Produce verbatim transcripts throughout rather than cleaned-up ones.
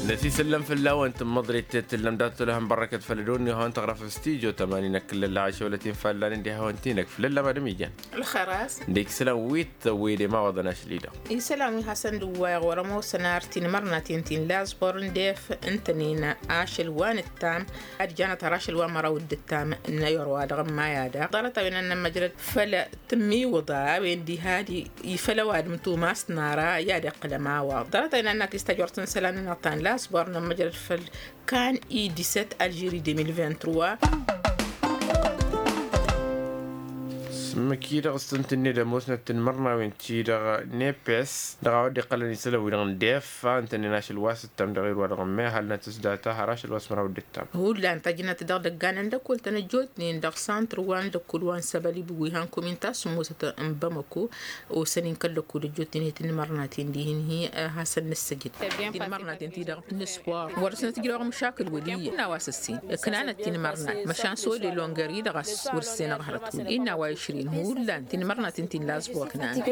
Năsisăllăm fălla-wăn tǝmmăḍrit tǝllăm dat-tolăhăn bărrăkăt făll-ădonne hawăn-tăɣrăf s-tijo tămani n-akǝllălla ašăwălăt-in fallăn dd-ihawăn-t-inăk făll-ăllăm ad-ămijan. Ălxer-as. Dd-iksǝlăn wi t-tăwwede ma wăḍăn ašăl-i-dăɣ. Isălan wi hasăn-dd-ǝwwayăɣ wăr-ămoosăn ar tinmărnaten ti n-laẓbor n-def ǝntănen ašăl wa n-ǝttam ad-janăt har ašăl wa n-măraw dd-ǝttam n-ayăr wa dăɣ-ămmayad-a ḍarăt a-wen ad-nămmăjrăd făll-tǝmmiwǝḍa a-wen diha-di. Ifăl ăwadǝm tumas n-ara i-ad-iqqǝl ămawaḍ ḍarăt a-wen ad-nakis tajort n-isălan n-ăṭṭan laẓbor nămmăjrăd făll-kan i-disăt alžiri deux mille vingt-trois. S-măki-dăɣ s-tăn-tǝnned ămoosnăt tinmărnawen-ti-dăɣ nepes dăɣ-a-wa dd-iqqălăn isălan-wi-dăɣ n-defa ǝntănen ašăl wa s-ǝttam dăɣ-erwa dăɣ-ămmay ăhalnăt s-data har ašăl wa s-măraw dd-ǝttam. Hullan tajnăt dăɣ-dăggan n-lăkkol-tăn ăjjootnen dăɣ-santr wa n-lăkkol wa n-săbălib wi han kumin ta s-ămoosăt n-bamăko. Osăn-in kăl-lăkkol ăjjootnen i-tinmărnaten dihin-hi hasăn-nǝssăjǝd tinmărnaten-ti-dăɣ n-spor wăr-săn tǝjrăwăɣ măšakǝl wăl' iyyăn. Innă a-wa s-ăssin ǝknanăt tinmărnat măšan s-ode longer-i-dăɣ a-s wăr-ǝssenăɣ hărăt wăl' innă a-wa išrin hullan tinmărnaten ti n-laẓbor ǝknanăt.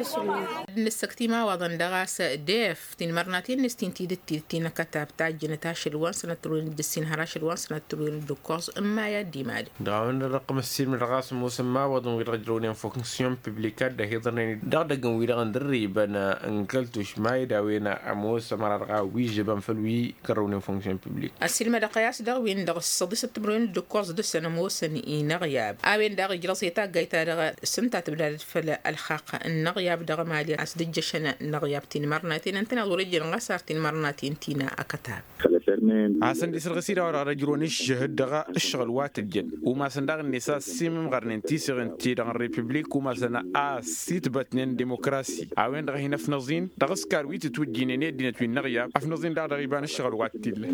Ad-nǝssăkt imawaḍăn dăɣ-a-s def tinmărnaten-net ti n-tidǝt tidǝt ti n-akătab tajjănăt ašăl wa n-sănăt tărwen d-ǝssin har ašăl wa n-sănăt tărwen d-ǝkkoẓ ǝmmay ad-dd-imalăn. Dăɣ-a-wen-dăɣ dăɣ-tămăssin dăɣ-a-s ămoos ămmawaḍăn wi-dăɣ ǝjrăwnen fonksyon publika dd-ăhiḍărnen dăɣ-idăgg n-wi-dăɣ n-dărribăn n-kăl-tušma-i d-a-wen ămoos ămăra dăɣ-a wi žăbăn făll-wi kărrăwnen fonksyon publika. Ăssiilmădăɣ-i a-s dăɣ-win-dăɣ s-săḍisăt timǝrwen d-ǝkkoẓ dăɣ-săn ămoosăn inăɣyab a-wen daɣ ijrăẓ i-taggayt-ta-dăɣ s-ǝnta tǝbdadăt făll-ălxaqq n-inăɣyab dăɣ-emali a-s dd-ǝjjăšăn inăɣyab tinmărnaten ǝntăneḍ wăr-ijjăn ɣas ar tinmărnaten ti n-akătab. A hasăn-dd-isǝrɣǝs-i daɣ wa dăɣ-ăjrăwăn ǝššăhǝd dăɣ-ǝššăɣǝl wa tǝjjăn umasăn daɣ-net a ăssiimǝmɣărnen tiseɣen-ti-dăɣ n-republik umasăn a ăssitbătnen dimokrasi a-wen-dăɣ a hin-ăfnăẓ-in dăɣ-ǝskar wi tǝtwǝjjǝynen i-ăddinăt wi n-inăɣyab ăfnăẓ-in daɣ dăɣ-iba n-ǝššăɣǝl wa t-illa.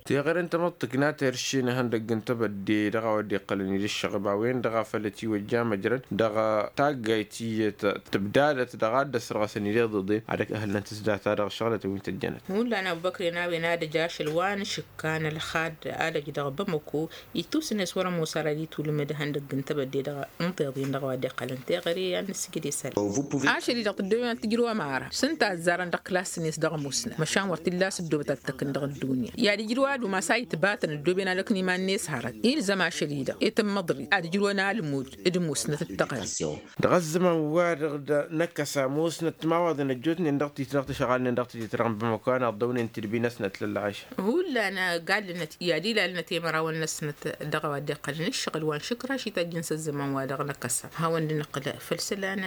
Teɣăre n-tamăḍt tǝkna terše n-ihăndăgg n-tebădde dăɣ-a-wa dd-iqqălăn-dd ǝššăɣb a-wen-dăɣ a făl ătiwăjja măjrăd dăɣ-taggayt iyyăt tǝbdadăt dăɣ-a dd-ăsrăɣăsăn-dd iḍeḍen ad-ăhhălnăt s-data dăɣ-ǝššăɣlătăn wi n-tăjjănăt. Hullan abubăkren a-wen ad-ăj ašăl wa n-ašǝkka n-ălxad ad-ăj dăɣ-bamăko ittusǝn-e-s wăr-ămoos ara d-itulǝmǝd ihăndăgg n-tebădde dăɣ-inṭeḍen dăɣ-a-wa dd-iqqălăn teɣăre ad-nǝssǝjǝd isălan. Ašăl-i-dăɣ tǝddooben ad-tǝjrǝw ămara s-ǝnta a ǝzzarăn dăɣ-klasăn-net dăɣ-ămoosnăt măšan wăr t-illa a-s ăddoobăt ad-tăkk n-dăɣ-ăddunya i-ad-ǝjrǝw ad-umas a itbatăn ăddooben ad-ăknǝy iman-net hărăt ilzăm ašăl-i-dăɣ i-tǝmmăḍrit ad-ǝjrǝwăn almud d-ămoosnăt d-tăɣrǝm. Dăɣ-ăzzăman wa dăɣ-năkkăs ămoosnăt timawaḍen ăjjootnen dăɣ-titnăɣ tǝšɣalnen dăɣ-tijǝt dăɣ-nǝbămăko a n-aḍḍăwnen tidbi-năsnăt lăllăɣaša. Hullan gal-năt i-ad-ilalnăt i-mărawăn-năsnăt dăɣ-a-wa dd-iqqălăn ǝššăɣǝl wa n-išǝkraš itajjăn s-ăzzăman wa dăɣ-năkkăsăm hawăn-dd-nǝqqǝl făll-isălan.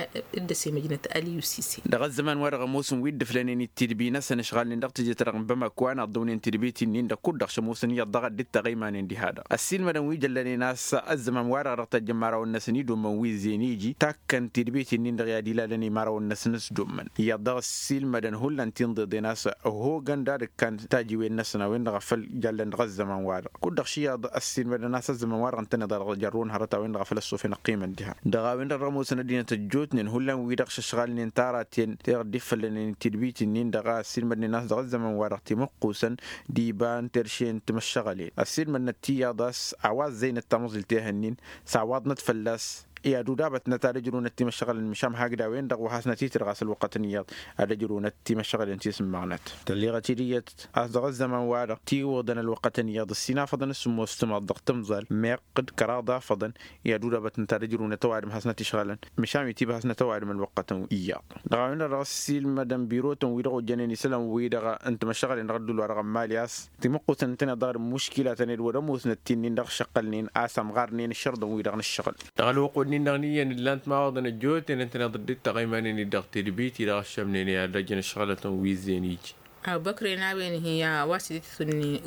D-ăsimăjnăt ăliyusise. Dăɣ-ăzzăman wa dăɣ-ămoosăn wi dd-ǝflănen i-tidbi-năsăn ǝšɣalnen dăɣ-tijǝt dăɣ-nǝbămăko a n-aḍḍăwnen tidbit-in-dăɣ kud-dăɣ šămoosăn iyyăḍ dăɣ-dd-tăɣ imanen diha-dăɣ ăssiilmădăn wi jăllănen a-s ăzzăman wa-dăɣ dăɣ-tăjjăn imărawăn-năsăn idummăn wi ǝzzeyăn iji takkăn tidbit-in-dăɣ i-ad-ilalăn imărawăn-năsăn s-dummăn iyyăḍ dăɣ-ăssiilmădăn hullan ti n-ḍeḍen a-s ăhogăn d-ad-ǝkkan tajiwen-năsăn a-wen-dăɣ a făl jallăn dăɣ-ăzzăman-wa-dăɣ kud-dăɣ š-iyyăḍ ăssiilmădăn a-s ăzzăman-wa-dăɣ ǝntăneḍ a dăɣ-jărrun hărăt a-wen-dăɣ a făl ăssofăn ăqqimăn diha. Dăɣ-a-wen-dăɣ dăɣ-ămoosăn ăddinăt ăjjootnen hullan wi-dăɣ šăšɣalnen tara-ten teɣ dd-iffăllănen tidbit-in-dăɣ a ăssiilmădnen a-s dăɣ-ăzzăman-wa-dăɣ timǝqqusăn d-iba n-terše n-timăššăɣălen ăssiilmădnăt tiyyăḍ a-s a-wa ăzzăynăt tamăẓilt i-ehăn-in s-awwaḍnăt fălla-s. I-ad-udabătnăt ad-ǝjrǝwnăt timăššăɣălăn măšan hakd a-wen-dăɣ wa hasnăt-itǝr ɣas ălwăqqătăn iyyăḍ ad-ǝjrǝwnăt timăššăɣălăn ti s-ǝmmăɣnăt. Tălleɣăt-dd iyyăt a-s dăɣ-ăzzăman-wa-dăɣ tiwǝḍăn ălwăqqătăn iyyăḍ ǝssin afăḍăn s-sǝmmos tǝmaḍ dăɣ-tǝmẓal meɣ d-kăraḍ afăḍăn. I-ad-udabătnăt ad-ǝjrǝwnăt ăwadǝm hasnăt-išɣălăn măšan wi tiba hasnăt ăwadǝm ălwăqqătăn iyyăḍ. Dăɣ-a-wen-dăɣ dăɣ-ăssiilmădăn birotăn-wi-dăɣ ojjănen isălan-wi-dăɣ n-timăššăɣălen dăɣ-ădduul-wa-dăɣ n-mali a-s timǝqqusăn ǝntăneḍ dăɣ-ălmuškila tăned wăr-ămoosnăt ti-nin-dăɣ šăqqălnen a-s ămɣarnen ǝššărḍăn-wi-dăɣ n-ǝššăɣǝl. Dăɣ-ălwăqq-wi-nin-dăɣ n-iyyăn ǝllan timawaḍăn ăjjootnen ǝntăneḍ dd-ittăɣ iman-in-dd dăɣ-tedbit-i-dăɣ ăššămnen i-ad-ăjjăn ǝššăɣǝlătăn wi ǝzzeyăn iji. Abubăkre n-a-wen-hi a-wa s-dd-itǝtwǝnni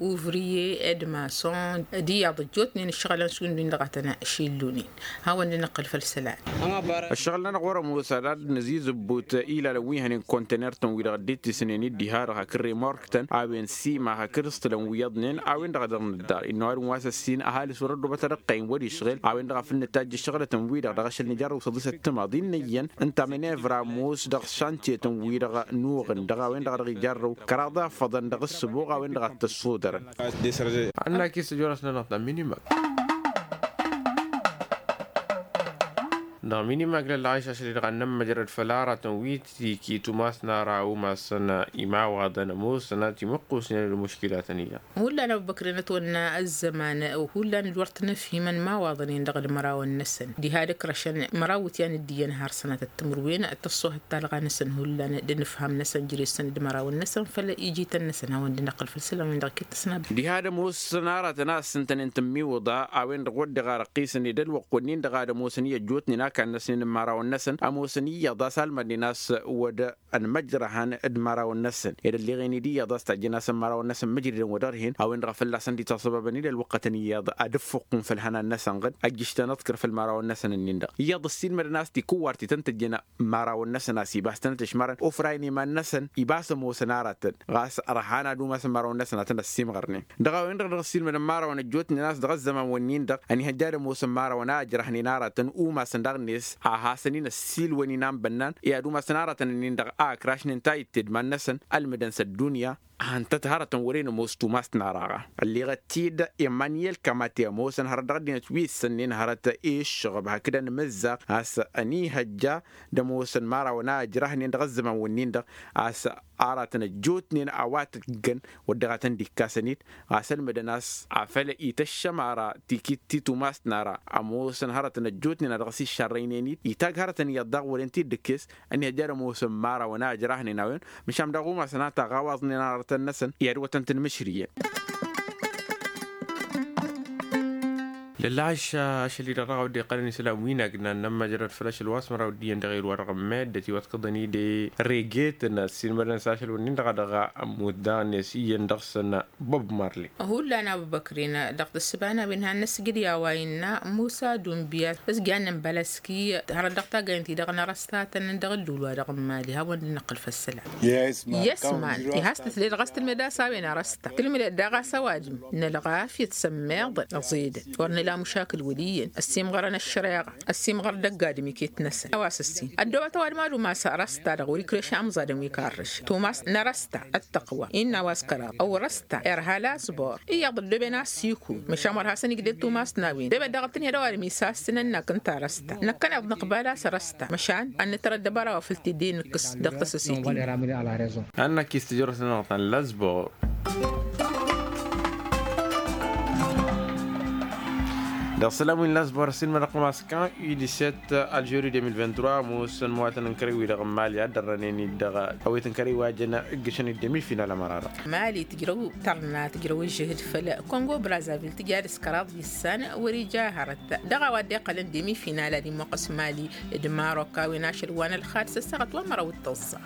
uvriye ed mason d-iyyăḍ ăjjootnen ǝššăɣǝlăn šund win-dăɣ a tăn-šillunen. Hawăn-dd-nǝqqǝl făll-isălan. Ăššăɣǝl-nănăɣ wăr-ămoos ad-ad-nǝzizǝbbut ilalăn wi hănen kontener-tăn-wi-dăɣ dd-ittisnen-dd diha-dăɣ hakd remork-tăn a-wen sima hakd s-tǝlăn wi iyyăḍnen a-wen-dăɣ a dăɣ-nǝddar innă ăwadǝm wa s-ăssin ăhalǝs wăr-ăddobăt ad-ăqqăyăn wăr-išɣel a-wen-dăɣ a făl nǝtajj ǝššăɣǝlătăn-wi-dăɣ dăɣ-ašăl n-ijarrăw s-ăḍisăt timaḍ innă-iyyăn ǝnta amenevra ămoos dăɣ-šantiyetăn-wi-dăɣ nuɣǝn dăɣ-a-wen-dăɣ a dăɣ-ijarrăw kăraḍ afăḍăn dăɣ-ǝssǝbuɣ a-wen-dăɣ a t-ăssodărăn. Ănnăk-i s-ăjorăsnănăɣ ta minimăk. Dăɣ-minimagla lăɣayš ašăl-i-dăɣ ad-nămmăjrăd făll-aratăn wi tiki tumas n-ara umasăn imawaḍăn ămoosăn a timǝqqusnen d-muškilatăn iyyăḍ. Hullan ăbubăkren ătwănna ăzzăman hullan d-wăr t-nǝfhimăn imawaḍăn-in-dăɣ d-imărawăn-năsăn diha d-ǝkrăšăn măraw iwǝtyan d-iyyăn har sănatăt timǝrwen tăṣṣohăt talɣa-năsăn hullan d-inǝfham-năsăn jere-săn d-imărawăn-năsăn făll-ijităn-năsăn hawăn-dd-năqqǝl făll-isălan-win-dăɣ iket tăsnabăt. Diha d-ămoos n-aratăn a ǝssǝntănen tǝmmiwǝḍa a-wen-dăɣ wăr dăɣ-arăqqisăn i-dălwăqq-wǝnnin-dăɣ ad-ămoosăn i-ăjjootnen a kannăsnen n-imărawăn-năsăn ămoosăn iyyăḍ a-s almădnen a-s wăr dd-ănmăjrăhăn d-imărawăn-năsăn ed ălleɣen-dd iyyăḍ a-s tajjăn-asăn imărawăn-năsăn mǝjridăn wăr dăɣ-dd-hin a-wen-dăɣ a fălla-săn dd-itasăbabăn i-dălwăqqătăn iyyăḍ ad-ǝffuqqun făll-ihănan-năsăn ɣǝd ăjjǝš-tăn ăḍkăr făll-imărawăn-năsăn-nin-dăɣ iyyăḍ ăssiilmădăn a-s tikǝwwar ti tăn-tǝjjăn imărawăn-năsăn a-s ibas-tăn-ătǝšmărăn ofra-in iman-năsăn ibas ămoosăn aratăn ɣas ărhan ad-umasăn imărawăn-năsăn ad-tăn-ăssimɣărnen. Dăɣ-a-wen-dăɣ dăɣ-ăssiilmădăn imărawăn ăjjootnen a-s dăɣ-ăzzăman-wǝnnin-dăɣ ănihăjja ad-ămoosăn imărawăn a ǝjrăhnen aratăn umasăn daɣ-net a hasăn-in ăssiilwăn-in a n-bănnan i-ad-umasăn aratăn-nin-dăɣ a ǝkrašnen tayǝtte d-iman-năsăn ălmǝdăn s-ăddunya. Ăhăntăt hărătăn wăren ămoos tumast n-araɣa ălleɣăt-t-dd i-manyel kamate ămoosăn hărăt dăɣ-ăddinăt wi ǝssănnen hărăt i-ǝššăɣăb hakd ănmǝzzaɣ a-s ănihăjja d-ămoosăn imărawăn a ǝjrăhnen dăɣ-ăzzăman-wǝnnin-dăɣ a-s aratăn ăjjootnen a-wa tǝggăn wăr dăɣ-a tăn-dd-ikkasăn-dd ɣas ălmǝdăn a-s afăl ităššăm ara tikit ti tumast n-ara ămoosăn hărătăn ăjjootnen a dăɣ-s iššărrăynen-dd itagg hărătăn iyyăḍ daɣ wăren-t-dd ǝkkes. Ănihăjja ad-ămoosăn imărawăn a ǝjrăhnen a-wen măšan daɣ umasăn a taɣawaẓnen aratăn-năsăn i-ad-wătăn-tăn mǝšriyăn. Lăllaɣ ašăl-i-dăɣ dăɣ-a wădden iqqălăn isălan wi n-agna n-ămmăjrăd făll-ašăl wa s-măraw d-iyyăn dăɣ-e-d wa dăɣ-ămmeddăt iwătkăḍăn-dd i-regetăn ăssiilmădăn s-ašăl wǝnnin-dăɣ a dăɣ-ămmut daɣ-net iyyăn dăɣ-săn. Bob marley. Hullan abubăkrin dăɣ-tǝssǝba n-a-wen hannăsjǝd i-a-wa innă musa dunbiyas s-jannen bălăski hărăt dăɣ-tagăyăn-ti-dăɣ n-arăstatăn dăɣ-ǝllul wa dăɣ-n mali hawăn-dd-năqqǝl făll-isălan. Yesman. Ihas tǝsle dăɣ-s tǝlmed a-s a-wen arăsta tǝlmǝdăt daɣ a-s ăwadǝm n-ălɣafyăt s-ămmiḍăn ăẓedăn wăr nǝla măšakǝl wăl' iyyăn ăssiimɣărăn ăššăreɣa ăssiimɣăr dăgg-adǝm iket-năsăn a-wa s-ǝssin ăddoobăt ăwadǝm ad-umas arăsta dăɣ-wăr-ikreš amẓadăn wi karrăš tumas n-arăsta ăttăqwa innă a-wa s-kăraḍ ăwrăsta irha lasbor iyyăḍ ăddooben a-s ikun măšan wăr hasăn-igded tumas n-a-wen ăddooben daɣ tǝnhăd ăwadǝm isassǝnăn n-akǝnta arăsta năkkăneḍ nǝqbal a-s arăsta măšan ad-nǝtăr ăddăbăra wa făl t-dd-inǝkkǝs dăɣ-tăsăsit-in. Ad-năkkis tǝjrăwt-nănăɣ ta n-lasbor. Dăɣ-isălan wi n-lasbor ăssiilmădăɣ-tăn a-s kan u-disset alžeri deux mille vingt-trois ămoosăn imăwatăn n-kărăy-wi-dăɣ n-mali a dd-ărrănen-dd dăɣ-awet n-kărăy-wa jăn ǝggǝšăn d-demi-final ămăra-dăɣ. Mali tǝjrăw tărna tǝjrăw ǝžžǝhǝd făll-kongo brazavil tǝja d-s kăraḍ issan wăr-ija hărăt dăɣ-a-wa dd-iqqălăn demi-final ad-imwăqqăs mali d-marok a-wen ašăl wa n-ălxad s-ăssaɣăt wa n-măraw d-tăẓẓa.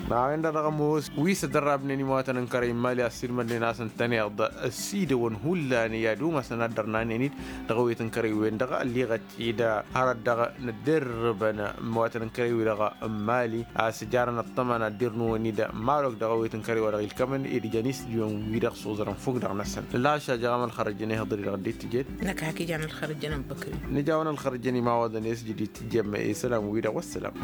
N-a-wen-dăɣ dăɣ-ămoos wi s-ăddărrabnen imăwatăn n-kărăy n-mali a ăssiilmădnen a-s ǝntăneḍ ăsidăwăn hullan i-ad-umasăn ad-dd-ărnanen-dd dăɣ-awet n-kărăy-wen-dăɣ ălliɣăt ed hărăt dăɣ-nǝdderrǝbăn imăwatăn n-kărăy-wi-dăɣ n-mali a-s ǝjarăn ăṭṭăma n-ad-dd-irnuwăn-dd marok dăɣ-awet n-kărăy wa dăɣ-ilkămăn ed ǝjăn isǝjwăn-wi-dăɣ s-oẓărăn fukk dăɣ-năsăn. Ǝllah ašăl a jăɣăm ălxărăjăn ihǝḍăr-i-dăɣ dd-tǝjed. Năkk hak ijan ălxărăjăn ăbbăkri. Nǝja-wăn ălxărăjăn imawaḍăn i-s jădid tǝjjăm isălan-wi-dăɣ wăssălam.